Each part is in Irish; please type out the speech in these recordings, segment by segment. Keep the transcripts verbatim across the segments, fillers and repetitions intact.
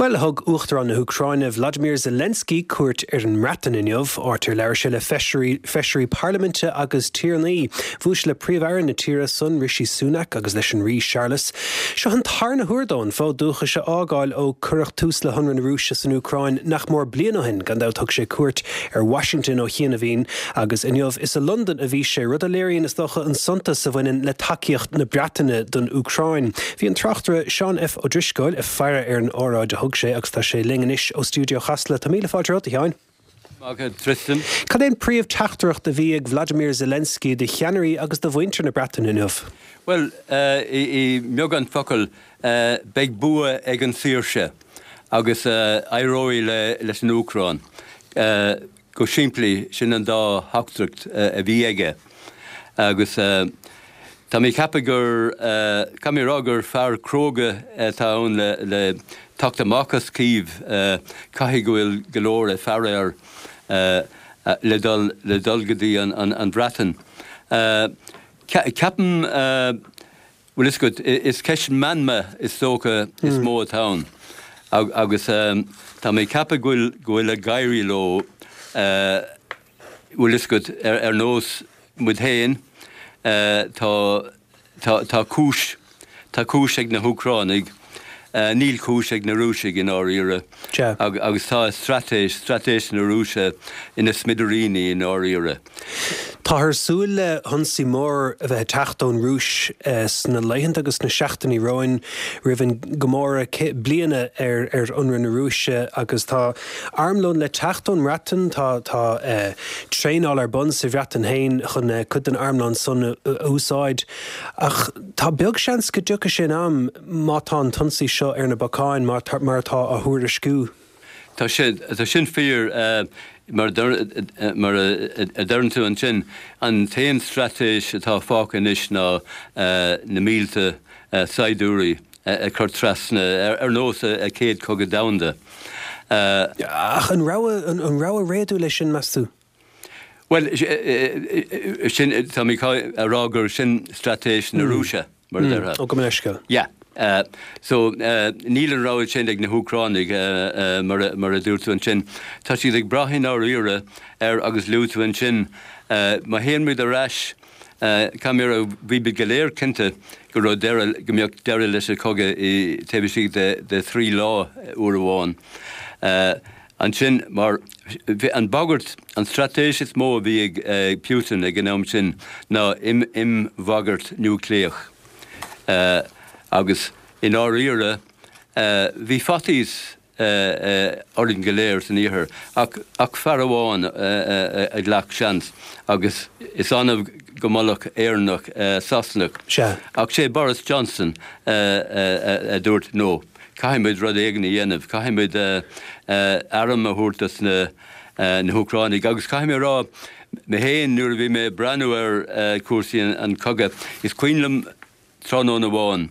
Well thug Uachtarán na hÚcráine Vladimir Zelensky cuairt ar an mBreatain inniu áit ar labhair sé le feisirí parlaiminte agus tiarnaí. Bhuail sé le Príomh-Aire na tíre san Rishi Sunak agus leis an Rí Charles. Seo an tarna huair dó an fód dúchais a fhágáil ó cuireadh tús le hionradh na Rúise san Úcráin nach mór bliain ó shin gan dabht thug sé cuairt ar Washington ó chianaibh agus inniu is i Londain a bhí sé rud a léiríonn is dócha an suntas a bhaineann le tacaíocht na Breataine don Úcráin. Bhí an tráchtaire Seán F. Ó Drisceoil ag faire ar an óráid a thug sé agus tá sé linn anois ó stiúideo Chasla Tá míle fáilte romhat a Sheáin. Tristan. Cad é an príomh-teachtaireacht a bhí ag Vladimir Zelensky do cheannairí agus do mhuintir na Breataine inniu. Well uh, i, i mbeagán focal uh, beidh bua ag an saoirse agus uh, éireoidh le, leis an Úcráin. Uh, go simplí sin an dá theachtaireacht uh, a bhí aige. agus uh, Tá mé ceapadh gur uh, mé rá gur fear cróga atá ann le, le teacht amach as Cív uh, caithfidh go bhfuil go leor ag faire air uh, le dul le dul go dtí an, an, an Bhreatain. Uh, Ceapaim uh, well is good is ceist meanma is dócha is mm. mó atá ann agus um, tá mé ceapadh go bhfuil go bhfuil ag éirí leo uh, well is good ar, ar nós muid féin uh, tá tá tá cúis tá cúis ag na hÚcránaigh uh, níl cúis ag na Rúisigh i ndáiríre agus tá straitéis straitéis na Rúise ina smidiríní i ndáiríre. Táthar ag súil le hionsaí mór a bheith ag teacht ón Rúis uh, sna laethanta agus na seachtainí romhainn roimh an gcomóradh bliana ar ar ionradh na Rúise agus tá armlón le teacht ón mBreatain tá tá uh, traenáil ar bun sa Bhreatain féin chun uh, chun an armlón san a úsáid. Ach tá beag seans go dtiocfaidh sin am má tá an t-ionsaí seo ar na bacáin mar mar atá á thuairisciú. Tá tá sin fíor uh, mar mar a deireann tú ansin an t-aon straitéis atá fágtha anois ná uh, na mílte uh, saighdiúirí a chur trasna ar, ar nós an Chéad Chogadh Domhanda. Uh, Ach an rogha an, an rogha réadúil é sin meas tú? Well sin tá mé a rá gur sin straitéis na Rúise mar mm. Ó go leisce. Yeah. Uh, so uh, níl an rogha sin ag na hÚcránaigh uh, uh, mar, mar a dúirt tú ansin. Tá siad ag brath i ndáiríre ar agus luaigh tú ansin uh, má théann muid ar ais uh, Camera bhí be go léir cinnte go raibh go mbeadh deireadh leis an chogadh i taobh istigh de, de thrí lá uair amháin. Uh, ansin mar an bagairt an straitéis is mó a bhí ag uh, Putin ag an am sin ná im im bhagairt núicléach. Uh, agus i ndáiríre uh, bhí faitíos uh, uh, orainn go léir san iarthar ach, ach fear amháin uh, uh, a ghlac seans agus is annamh go molfadh Éireannach uh, Sasanach. Ach sé Boris Johnson uh, uh, a dúirt no. Caithfimid rud éigin a dhéanamh, caithfimid uh, uh, arm a thabhairt dos na, uh, na hÚcránaigh, agus caithfidh mé rá mé féin nuair a bhí mé ag breathnú ar uh, cúrsaí an, an cogadh. Is cuimhin liom tráthnóna amháin,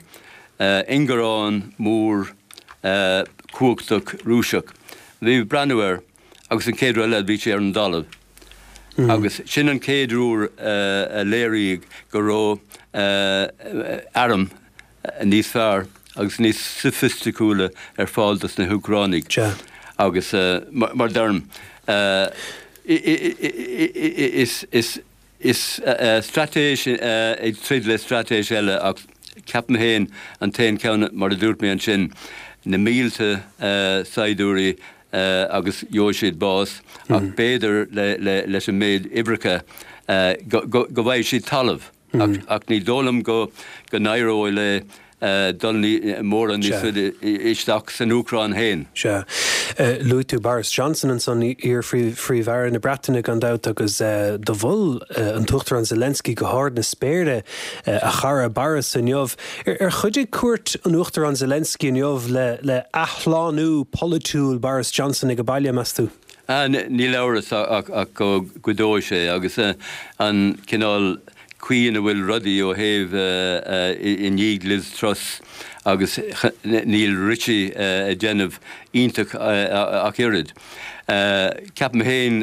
uh, ingearán mór uh, cumhachtach Rúiseach. Bhí breathnú air agus an chéad rud eile bhí sé ar an dtalamh. Mm. Agus sin an chéad uair uh, a léiríodh go raibh uh, arm níos fearr agus níos soifisticiúla ar fáil dos na hÚcránaigh. Agus uh, mar, mar deirim uh, is, is, is uh, straitéis uh, ag troid le straitéis eile ach ceapaim féin an t-aon ceann mar a dúirt mé ansin na mílte uh, saighdiúirí uh, agus gheobhaidh siad bás mm. ach b'fhéidir le, le, leis an méid uimhreacha uh, go, go, go bhfaighidh siad talamh mm. ach, ach ní dóigh liom go go n-éireoidh le uh, dul mórán níos isteach san Úcráin féin. Se luaigh tú Boris Johnson ansan iar-Phríomh-Aire na Breataine gan dabht agus uh, do mhol uh, an tUachtarán Zelensky go hard na spéire uh, a chara Boris inniu. Ar, ar chuidigh cuairt an Uachtarán Zelensky inniu le, le athshlánú polaitiúil Boris Johnson ag baile meas tú? Ah, níl amhras ach go gcuideoidh sé agus an cineál chaoi ina bhfuil rudaí ó thaobh i ndiaidh Liz Truss agus níl Rishi ag déanamh iontach ach oiread. Ceapaim féin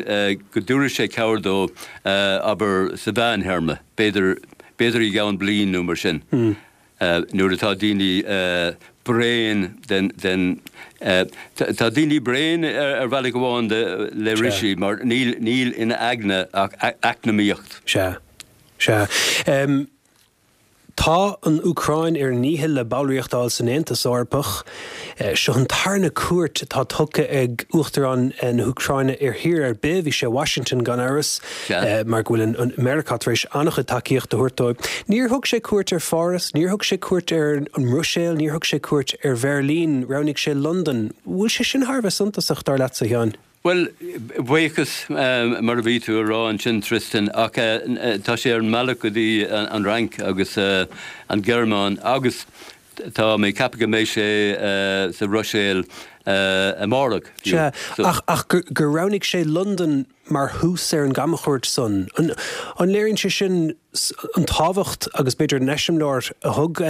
go dtabharfaidh sé cabhair dó abair sa mheánthéarma, b'fhéidir b'fhéidir i gceann bliain nó mar sin. Mm. Nuair atá daoine bréan den den tá daoine bréan ar bhealach amháin de le Rishi mar níl níl ina aigne ach eacnamaíocht. Sea. Sea. Um, Tá an Úcráin ar a ndícheall le ballraíocht a fháil san Aontas Eorpach. Seo an tarna cuairt atá tugtha ag Uachtarán na hÚcráine ar thír ar bith, bhí sé i Washington gan amhras, mar go bhfuil an Meiriceá tar éis an-chuid tacaíocht a thabhairt dóibh. Níor thug sé cuairt ar Pháras, níor thug sé cuairt ar an mBruiséil, níor thug sé cuairt ar Bheirlín, roghnaigh sé Londain. Bhfuil sé sin thar a bheith suntasach, dar leatsa, a Sheáin? Bhuel, buíochas mar a bhí tú a rá ansin, Tristan, ach tá sé ar an mbealach go dtí an Fhrainc agus an Ghearmáin agus tá mé ag ceapadh go mbeidh sé sa Bhruiséil amárach. Sea, ach ach gur roghnaigh sé Londain mar thús ar an gcamchuairt san, an léiríonn sé sin an tábhacht agus b'fhéidir an eiseamláir a thug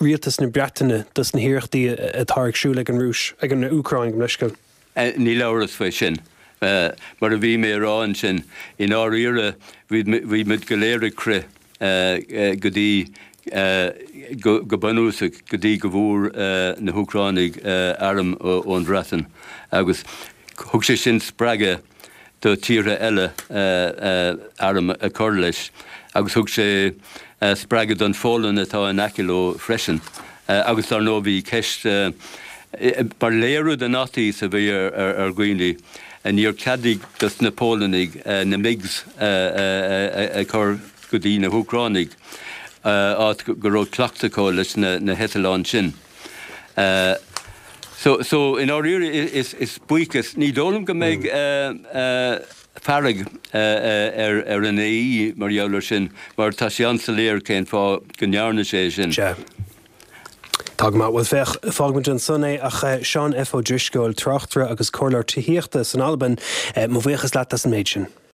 rialtas na Breataine dos na hiarrachtaí atá ar siúl ag an Rúis, ag an Úcráin, gabh mo leithscéal? Níl amhras faoi sin. Mar a bhí mé a rá ansin, i ndáiríre bhí muid go léir ag crith go dtí, go bunúsach, go dtí go bhfuair na hÚcránaigh airm ón Bhreatain agus thug sé sin spreagadh do tíortha eile airm a chur leis agus thug sé spreagadh don Pholainn atá in aice leo freisin. Agus dar ndóigh bhí ceist mar léiriú den fhaitíos a bhí ar dhaoine, níor ceadaíodh dos na Polannaigh na MiGs a chur go dtí na hÚcránaigh, áit go raibh cleachtadh acu leis na heitleáin sin. So, so i ndáiríre is, is buíochas, ní dóigh liom go mbeidh fearg ar ar an AE mar gheall air sin, mar tá sé an-soiléir cén fáth go ndearna sé sin. Sea. Tá go maith. Bhuel, féach, fágfaimid ansan é, ach Seán F. Ó Drisceoil, tráchtaire agus comhairleoir tithíochta san Albain, mo bhuíochas leat as an méid sin.